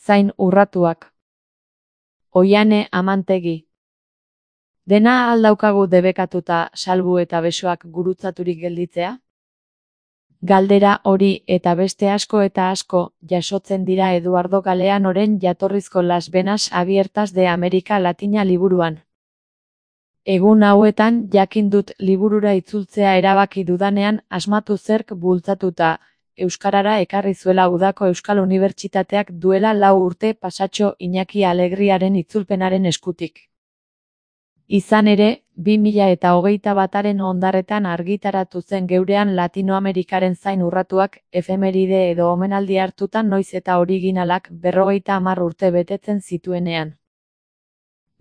Zain urratuak. Oiane Amantegi. Dena aldaukagu debekatuta salbu eta besoak gurutzaturik gelditzea? Galdera hori eta beste asko eta asko jasotzen dira Eduardo Galeanoren jatorrizko Las Venas Abiertas de América Latina liburuan. Egun hauetan jakin dut liburura itzultzea erabaki dudanean asmatu zerk bultzatuta, euskarara ekarri zuela udako Euskal Unibertsitateak duela 4 urte pasatxo Iñaki Alegriaren itzulpenaren eskutik. Izan ere, 2021 ondarretan argitaratu zen geurean Latinoamerikaren zain urratuak, efemeride edo omenaldi hartutan noiz eta originalak 50 urte betetzen zituenean.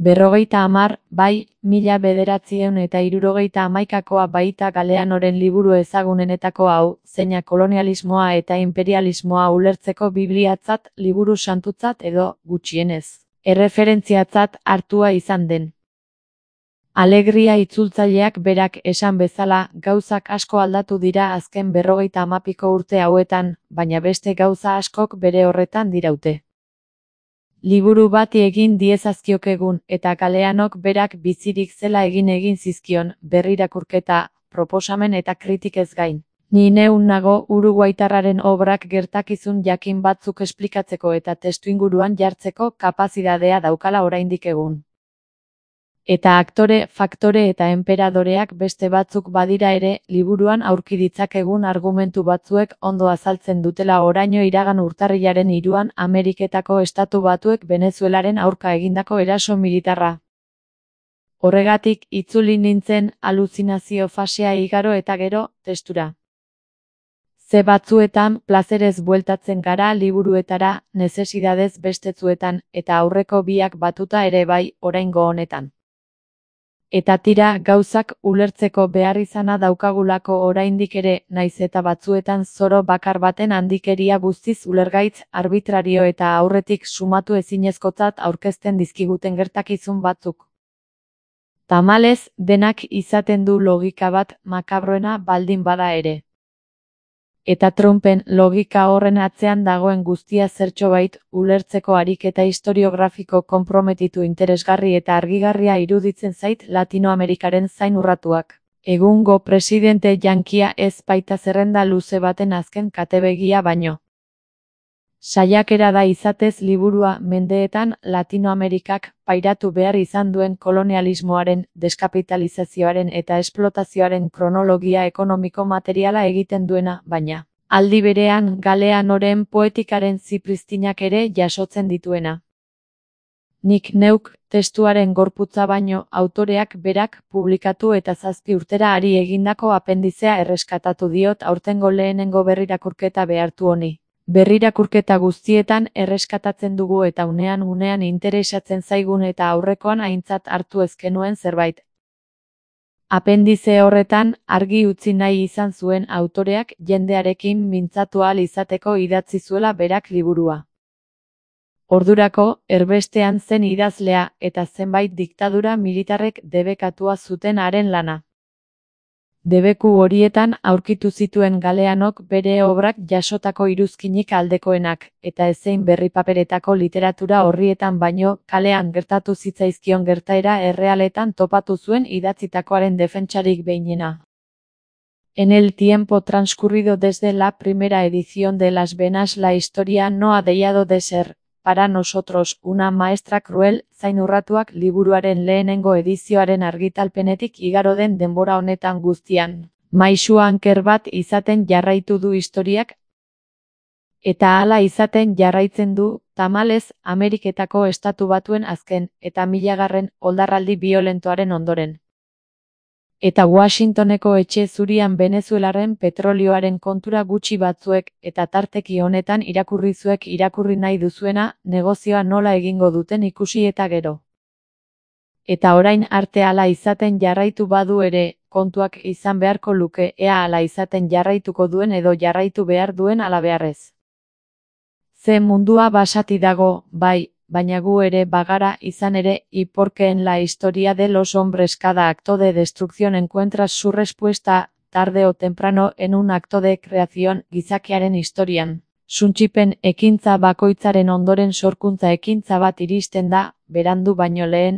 50, bai, 1971koa baita Galeanoren liburu ezagunenetako hau, zeina kolonialismoa eta imperialismoa ulertzeko bibliatzat, liburu santutzat edo, gutxienez, erreferentziatzat hartua izan den. Alegria itzultzaileak berak esan bezala, gauzak asko aldatu dira azken 50 urte hauetan, baina beste gauza askok bere horretan diraute. Liburu bati egin diezazkiokegun eta Galeanok berak bizirik zela egin zizkion, berrirakurketa, proposamen eta kritikez gain. Ni neun nago uruguaitarraren obrak gertakizun jakin batzuk esplikatzeko eta testuinguruan jartzeko kapazitatea daukala oraindik egun. Eta aktore, faktore eta enperadoreak beste batzuk badira ere, liburuan aurki ditzakegun argumentu batzuek ondo azaltzen dutela oraino iragan urtarrilaren 3 Ameriketako Estatu Batuek Venezuelaren aurka egindako eraso militarra. Horregatik, itzuli nintzen aluzinazio fasea igaro eta gero, testura. Ze batzuetan, plazerez bueltatzen gara liburuetara, nezesidadez bestetzuetan, eta aurreko biak batuta ere bai, oraingo honetan. Eta tira, gauzak ulertzeko behar izana daukagulako oraindik ere, naiz eta batzuetan zoro bakar baten handikeria guztiz ulergaitz, arbitrario eta aurretik sumatu ezinezkotzat aurkezten dizkiguten gertakizun batzuk. Tamalez, denak izaten du logika bat makabroena baldin bada ere. Eta Trumpen logika horren atzean dagoen guztia zertxobait, ulertzeko ariketa historiografiko konprometitu interesgarri eta argigarria iruditzen zait Latinoamerikaren zain urratuak. Egungo presidente jankia ez baita zerrenda luze baten azken katebegia baino. Saiakera da izatez liburua mendeetan Latinoamerikak pairatu behar izan duen kolonialismoaren, deskapitalizazioaren eta esplotazioaren kronologia ekonomiko materiala egiten duena, baina, aldi berean Galeanoren poetikaren zipristinak ere jasotzen dituena. Nik neuk, testuaren gorputza baino, autoreak berak publikatu eta 7 urtera ari egindako apendizea erreskatatu diot aurtengo lehenengo berrirakurketa behartu honi. Berrirakurketa guztietan erreskatatzen dugu eta unean interesatzen zaigun eta aurrekoan aintzat hartu ezkenuen zerbait. Apendize horretan, argi utzi nahi izan zuen autoreak jendearekin mintzatu ahal izateko idatzi zuela berak liburua. Ordurako, erbestean zen idazlea eta zenbait diktadura militarrek debekatua zuten haren lana. Debeku horietan aurkitu zituen Galeanok bere obrak jasotako iruzkinik aldekoenak, eta ezein berripaperetako literatura horrietan baino, kalean gertatu zitzaizkion gertaera errealetan topatu zuen idatzitakoaren defentsarik behinena. En el tiempo transcurrido desde la primera edición de Las Venas la historia no ha dejado de ser, para nosotros, una maestra cruel, zain urratuak liburuaren lehenengo edizioaren argitalpenetik igaro den denbora honetan guztian. Maisu anker bat izaten jarraitu du historiak, eta hala izaten jarraitzen du, tamalez, Ameriketako Estatu Batuen azken, eta 1000. oldarraldi biolentoaren ondoren. Eta Washingtoneko etxe zurian Venezuelaren petrolioaren kontura gutxi batzuek, eta tarteki honetan irakurrizuek irakurri nahi duzuena, negozioa nola egingo duten ikusi eta gero. Eta orain arte hala izaten jarraitu badu ere, kontuak izan beharko luke ea hala izaten jarraituko duen edo jarraitu behar duen ala beharrez. Ze mundua basati dago, bai, baina gu ere bagara izan ere, y porque en la historia de los hombres cada acto de destrucción encuentra su respuesta, tarde o temprano en un acto de creación, gizakiaren historian, Suntsipen ekintza bakoitzaren ondoren sorkuntza ekintza bat iristen da, berandu baino lehen,